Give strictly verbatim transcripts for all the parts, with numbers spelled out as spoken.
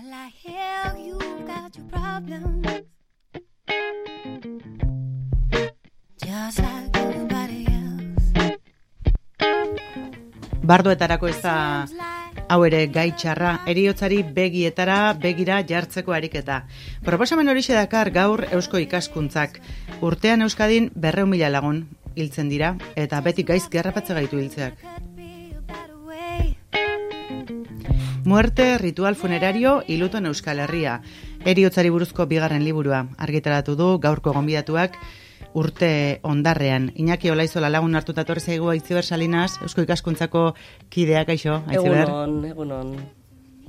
Well, I hear you got your problems, just like everybody else. Bardoetarako ez da hau ere gai txarra, heriotzari begietara begira jartzeko ariketa. Proposamen horixe dakar gaur Eusko Ikaskuntzak. Urtean Euskadin berrehun mila lagun hiltzen dira, eta beti gaizki harrapatze gaitu hiltzeak. Muerte, ritual funerario, y luto en Euskal Herria. Heriotzari buruzko bigarren liburua argitaratu du gaurko gonbidatuak urte ondarrean. Iñaki Olaizola lagun hartuta torri zaigu Aitziber Salinas, Eusko Ikaskuntzako kideak, aixo, Aitziber? Egunon, egunon.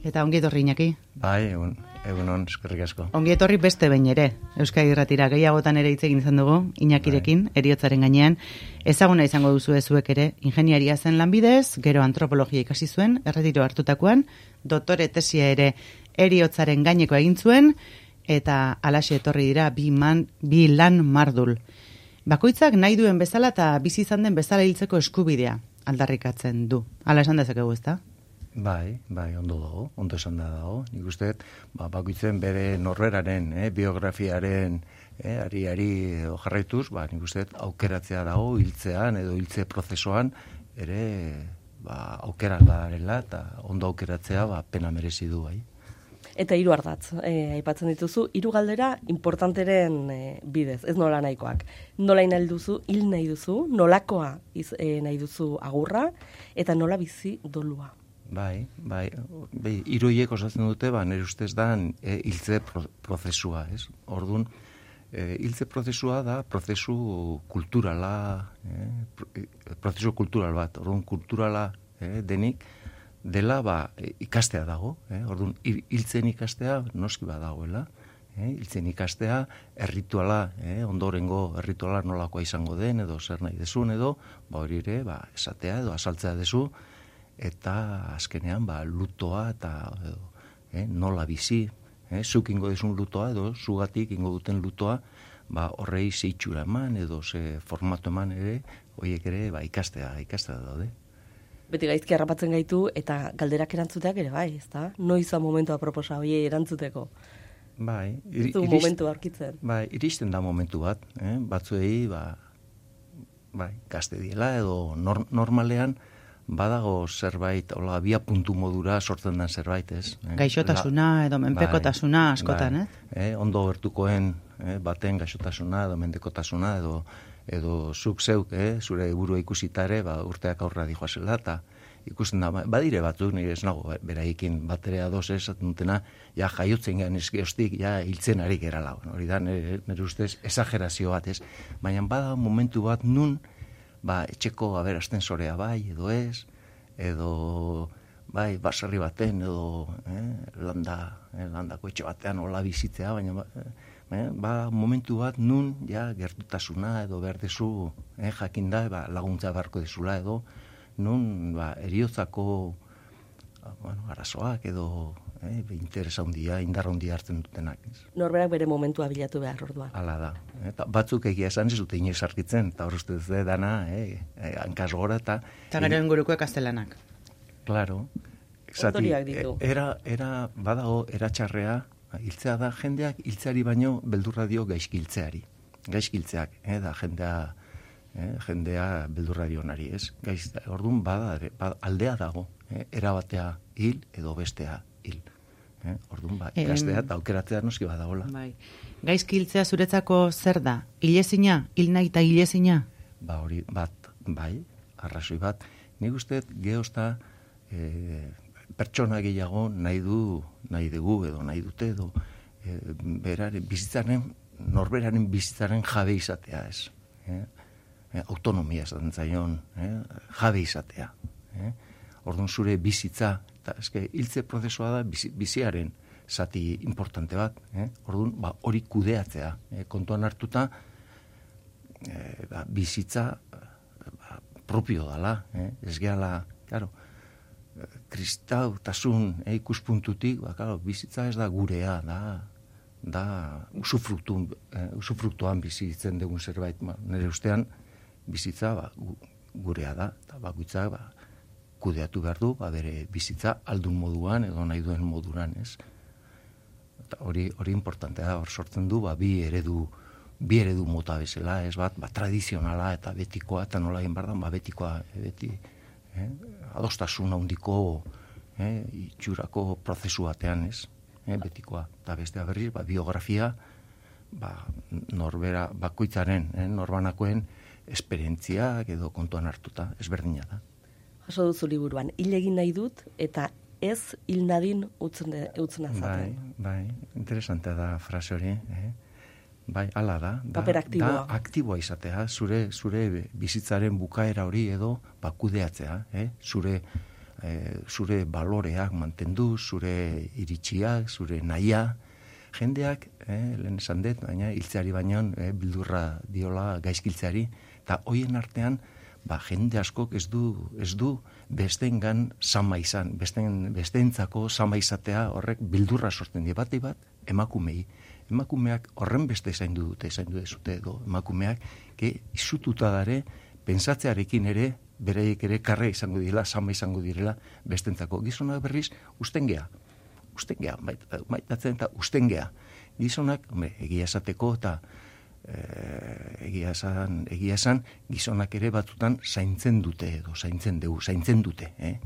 Eta ongi etorri, Iñaki? Bai, egun, egunon, eskerrik asko. Ongi etorri beste behin ere, Euskadi Irratira gehiagotan ere hitz egin izan dugu, Iñakirekin, bai. Heriotzaren gainean. Ezaguna izango duzu zuek ere, ingeniaria zen lanbidez, gero antropologia ikasi zuen, erretiro hartutakoan, doktore tesia ere heriotzaren gaineko egin zuen, eta alaxe etorri dira bi, man, bi lan mardul. Bakoitzak nahi duen bezala eta bizi izan den bezala hiltzeko eskubidea aldarrikatzen du. Hala esan dezakegu, ezta? Bai, bai, ondo dago, ondo esan da dago. Nik uste, ba, bakoitzen bere norberaren, eh, biografiaren, eh, ari-ari jarraituz, ba, nik uste, aukeratzea dago, hiltzean edo hiltze prozesuan, ere, ba, aukerak badarela, eta ondo aukeratzea, ba, pena merezi du, bai. Eta hiru ardatz, eh, aipatzen dituzu, hiru galdera importanteren eh, bidez, ez nola nahikoak. Nola nahi duzu, hil nahi duzu, nolakoa iz, eh, nahi duzu agurra, eta nola bizi dolua. Bai, bai, bai, hiru horiek osatzen dute, ba, nire ustez da, e, hiltze pro, prozesua, ez? Orduan, e, hiltze prozesua da, prozesu kulturala, e, pro, e, prozesu kultural bat, orduan, kulturala e, denik, dela ba, ikastea dago, eh? Orduan, hiltzen ikastea noski badagoela, eh? Hiltzen ikastea errituala, eh? Ondorengo errituala nolakoa izango den, edo zer nahi dezun, edo ba, hori ere ba, esatea edo azaltzea dezu, eta azkenean ba, lutoa eta edo, eh? nola bizi, eh? zuk ingo dezun lutoa, edo zugatik ingo duten lutoa, ba, horrei zeitxura eman, edo ze formatu eman ere, horiek ere ba, ikastea, ikastea daude. Beti gaizki harrapatzen gaitu eta galderak erantzuteak ere bai, ezta? Noiz da momentua proposa hori erantzuteko? Bai, ir, irist, momentu aurkitzen. Bai, iristen da momentu bat, eh? Batzuei ba bai, gazte diela edo nor, normalean badago zerbait, hola, bia puntu modura sortzen den zerbait, ez? Eh? Gaixotasuna La, edo menpekotasuna bai, askotan, bai, eh? eh? Ondo gertukoen eh? baten gaixotasuna edo menpekotasuna edo edo zuk zeuk, eh, zure burua ikusita ere, ba, urteak aurra dijoazela, eta ikusten da, badire batzuk, nire ez nago, beraikin bat ere adoz esaten dutena, ja jaiotzen gehan eskeostik, ja hiltzen ari gerala. Hori da, nire, nire ustez, esagerazio bat, ez? Baina bada momentu bat nun, ba, etxeko aberasten zorea bai, edo ez, edo, bai, baserri baten, edo, eh, landa, eh, landako etxe batean, hola bizitzea, baina, ba, Eh, ba, momentu bat nun ja gertutasuna edo behar dezu eh, jakinda ba, laguntza beharko dezula edo nun ba, heriotzako bueno, arazoak edo eh, interesa handia, indar handia hartzen dutenak. Norberak bere momentua bilatu behar orduan. Hala da. Eta batzuk egia esan ez dute inoiz arkitzen, eta hor uste dut dana, eh, eh, hankaz gora eta... Eta gero inguruko ekaztelanak. Claro. Ondoriak ditu. Era, era, badago, eratxarrea, hiltzea da jendeak hiltzeari baino beldurra dio gaizkiltzeari. Gaizkiltzeak, eh, da jendea, eh, jendea beldurra dionari, ez? Gaiz, orduan bada, bada aldea dago, eh, erabatea hil edo bestea hil. Eh, orduan ba, ikastea eta aukeratzea noski badagola. Bai. Gaizkiltzea zuretzako zer da? Hilezina, hil nahi eta hilezina? Ba hori bat, bai, arrazoi bat. Nik uste geozta eh, pertsona gehiago nahi du, nahi dugu edo nahi dute edo e, beraren bizitzaren, norberaren bizitzaren jabe izatea ez. E, e, autonomia esaten zaion, e, jabe izatea. E. Orduan zure bizitza, eta eske hiltze prozesua da bizi, biziaren zati importante bat. E. Orduan ba, hori kudeatzea. E, kontuan hartuta e, ba, bizitza ba, propio dala. E. Ez gehala, claro, kristautasun eh, ikuspuntutik, ba, claro, bizitza ez da gurea, da, da usufruktu, eh, usufruktuan bizitzen dugun zerbait. Ba, nire ustean, bizitza ba, gurea da, eta bakoitzak ba, kudeatu behar du, ba, bere bizitza aldun moduan edo nahi duen moduran, ez? eta hori hori importantea da, hor sortzen du, ba, bi eredu bi eredu mota bezala, ez bat, ba, tradizionala eta betikoa, eta nola egin behar da, ba, betikoa, beti, eh, adostasun handiko, eh, itxurako prozesu batean, ez, eh, betikoa, eta bestea berriz, ba, biografia, ba, norbera bakoitzaren, eh, norbanakoen esperientziak edo kontuan hartuta, ezberdina da. Jaso duzu liburuan, hil egin nahi dut, eta ez hil nadin utzen, utzen azaten. Bai, bai, interesantea da frase hori, eh? Bai, hala da, da, Paper aktiboa. da aktiboa izatea, zure zure bizitzaren bukaera hori edo bakudeatzea, eh? zure, eh, zure baloreak mantendu, zure iritsiak, zure nahia, jendeak, eh, lehen esan dut, baina hiltzeari baino eh, bildurra diola gaizkiltzeari, eta hoien artean, ba, jende askok ez du, ez du bestengan sama izan, besten, bestentzako sama izatea horrek bildurra sortzen die bati bat, emakumei. Emakumeak horren beste zaindu dute, zaindu dezute edo emakumeak, ke izututa dare, pensatzearekin ere, bereiek ere karre izango direla, sama izango direla bestentzako. Gizonak berriz, ustengea. Ustengea, maitatzen eta ustengea. Gizonak, hombre, egia esateko eta e, egia esan, egia esan, gizonak ere batzutan zaintzen dute edo zaintzen dugu, zaintzen dute, eh?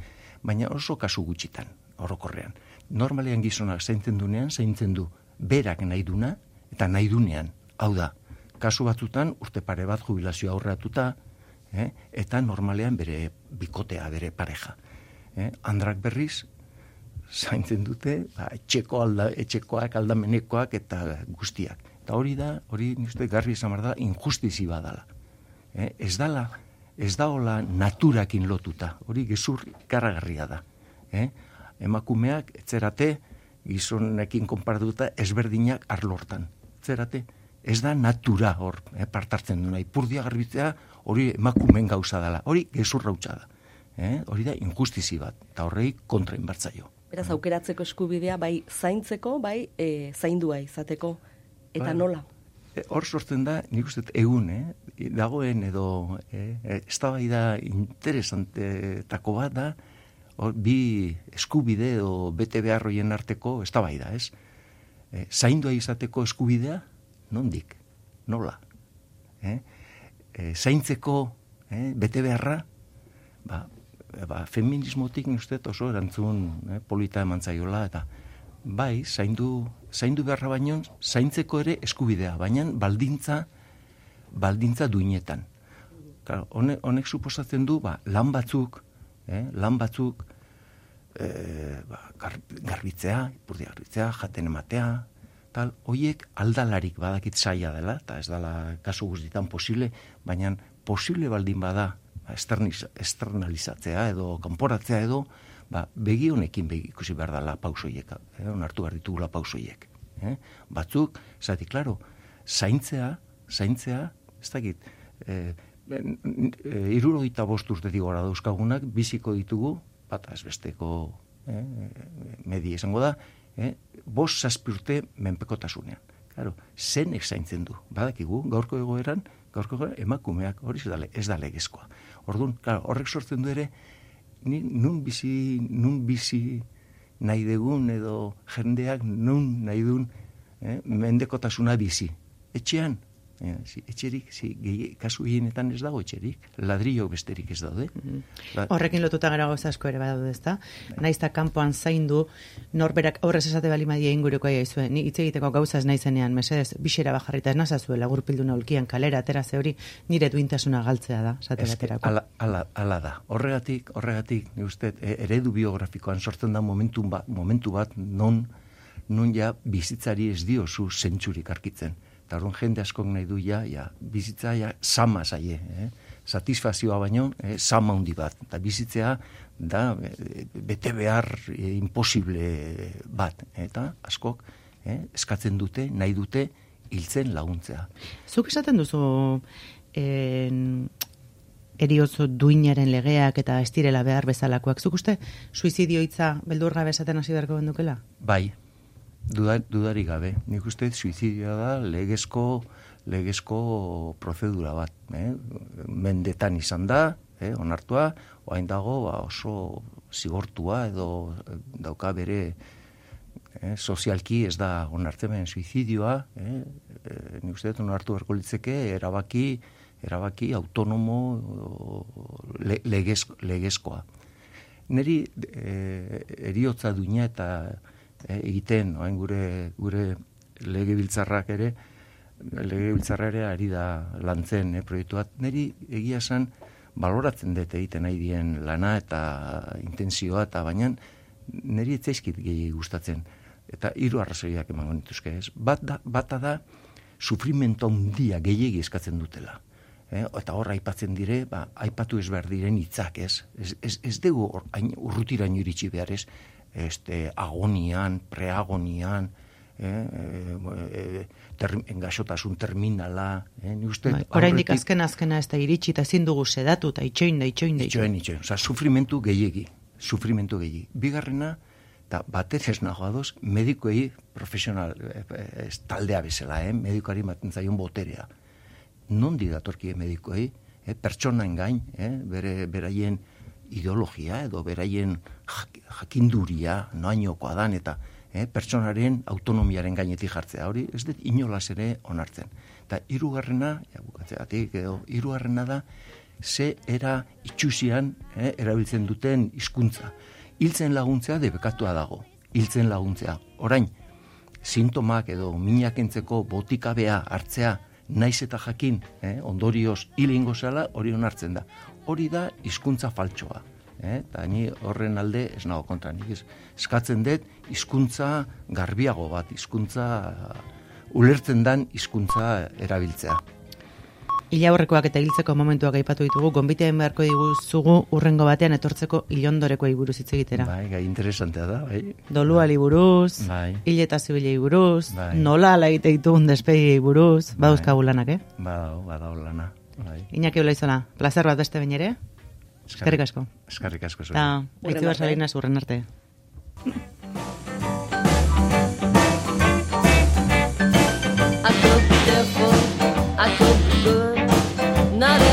Baina oso kasu gutxitan, orokorrean. Normalean gizonak zaintzen dunean, zaintzen du berak nahi duna eta nahi dunean. Hau da, kasu batzutan urte pare bat jubilazio aurreatuta, eh? Eta normalean bere bikotea, bere pareja. Eh? Andrak berriz, zaintzen dute, ba, etxeko alda, etxekoak, aldamenekoak eta guztiak. Eta hori da, hori nire garbi izan behar da, injustizi badala. Eh? Ez dala, ez daola naturakin lotuta, hori gezur ikaragarria da. Eh? Emakumeak, etzerate, gizonekin konparatuta ezberdinak arlortan. Etzerate, ez da natura hor, eh, partartzen duna. Ipurdia garbitzea, hori emakumeen gauza dela, hori gezurra hutsa da. Eh? Hori da injustizi bat, eta horrei kontra inbartzaio. Beraz, aukeratzeko eskubidea, bai zaintzeko, bai e, zaindua izateko, eta Bai. nola? E, hor sortzen da, nik uste dut egun, eh? dagoen edo, eh? eztabaida interesantetako bat da, hor, bi eskubide edo bete beharroien arteko eztabaida, ez? E, zaindua izateko eskubidea, nondik, nola? Eh? E, zaintzeko eh? bete beharra, ba, ba, feminismotik uste oso erantzun eh, polita eman zaiola, eta bai, zaindu, zaindu beharra baino, zaintzeko ere eskubidea, baina baldintza, baldintza duinetan. Claro, honek, honek suposatzen du, ba, lan batzuk, eh, lan batzuk, eh, ba, gar, garbitzea, ipurdi garbitzea, jaten ematea, tal, hoiek aldalarik badakit zaila dela, eta ez dela kasu guztietan posible, baina posible baldin bada, esternalizatzea edo kanporatzea edo, ba, begi honekin begi ikusi behar dela pausoiek, eh, onartu behar ditugula pausoiek. Eh? Batzuk, zati, klaro, zaintzea, zaintzea, ez dakit, eh, irurogeita bost urtetik gora dauzkagunak, biziko ditugu, bat azbesteko eh, medi esango da, eh, bost zazpi urte menpekotasunean. Claro, zenek zaintzen du, badakigu, gaurko egoeran, gaurko egoeran, emakumeak, hori ez da legezkoa. Orduan, claro, horrek sortzen du ere, ni, nun bizi, nun bizi nahi degun edo jendeak nun nahi duen eh, mendekotasuna bizi. Etxean, eh, si, etxerik, si, gehi, kasu hienetan ez dago etxerik, ladrillo besterik ez daude. Mm-hmm. La, Horrekin lotuta gara gauza asko ere badaude, ezta? Naizta kanpoan zaindu, norberak aurrez esate balimadia inguruko aia izue, ni hitz egiteko gauza ez naizenean, mesedez, bixera bajarrita ez nazazuela, gurpilduna ulkian kalera, atera ze hori, nire duintasuna galtzea da, esate baterako. Ala, ala, ala da. Horregatik, horregatik, ni uste, eredu biografikoan sortzen da momentu bat, momentu bat non, non ja bizitzari ez diozu zentsurik arkitzen. Eta orduan jende askok nahi du ja, ja bizitza ja sama zaie, eh? Satisfazioa baino, eh, sama hundi bat. Eta bizitzea da eh, bete behar eh, imposible bat. Eta askok eh, eskatzen dute, nahi dute hiltzen laguntzea. Zuk esaten duzu en, eriotzo duinaren legeak eta ez direla behar bezalakoak. Zuk uste suizidio hitza beldurra bezaten hasi beharko gendukela? Bai. Duda, dudarik gabe. Nik uste suizidioa da legezko, legezko prozedura bat. Eh? Mendetan izan da, eh? onartua, oain dago ba, oso zigortua edo dauka bere eh, sozialki ez da onartzen, baina suizidioa, eh, eh, nik uste dut onartu beharko litzeke, erabaki, erabaki autonomo le, legez, legezkoa. Neri eh, eriotza duina eta eh, egiten, oain gure, gure legebiltzarrak ere, legebiltzarra ere ari da lantzen eh, proiektuat. Neri egia esan baloratzen dut egiten nahi dien lana eta intensioa, eta baina neri etzaizkit gehi gustatzen. Eta hiru arrazoiak emango nituzke, ez? Bat da, bata da, sufrimento handia gehiegi eskatzen dutela. Eh? Eta hor aipatzen dire, ba, aipatu ez behar diren hitzak, ez? Ez, ez, ez dugu urrutiraino iritsi behar, ez? Este, agonian, preagonian, eh? eh, ter, engaxotasun terminala, eh? Ni uste, bai, oraindik azken azkena ez da iritsi, eta ezin dugu sedatu, eta itxoin da, itxoin da, itxoin, itxoin. Osa, sufrimentu gehiegi, sufrimentu gehiegi. Bigarrena, eta batez ez nago adoz, medikoei profesional, ez taldea bezala, eh? Medikoari maten zaion boterea. Nondi datorkie medikoei, eh? Pertsonaen gain, eh? Bere, beraien ideologia edo beraien jak, jakinduria, noainokoa dan, eta eh? Pertsonaren autonomiaren gainetik jartzea. Hori ez dut inolaz ere onartzen. Eta hirugarrena, ja, bukatzeatik, edo hirugarrena da, ze era itxusian eh? erabiltzen duten hizkuntza. Hiltzen laguntzea debekatua dago. Hiltzen laguntzea. Orain, sintomak edo minak entzeko botikabea hartzea, naiz eta jakin, eh, ondorioz hil egingo zela, hori onartzen da. Hori da hizkuntza faltsoa. Eh? Eta ni horren alde ez nago kontra. Nik eskatzen dut hizkuntza garbiago bat, hizkuntza ulertzen dan hizkuntza erabiltzea. Ila horrekoak eta hiltzeko momentuak aipatu ditugu, gonbiteen beharko diguzugu urrengo batean etortzeko ilondorekoei buruz hitz egitera. Bai, gai interesantea da, bai. Doluali buruz, bai. Hil eta zibilei buruz, bai. Nola ala egite ditugun despediei buruz, bai. Badauzkagu lanak, eh? Badau, badau lana. Bai. Iñaki Olaizola, plazer bat beste behin ere? Eskerrik asko. Eskerrik asko. Eta, Aitziber Salinas urren arte. I could be careful, I could be good, not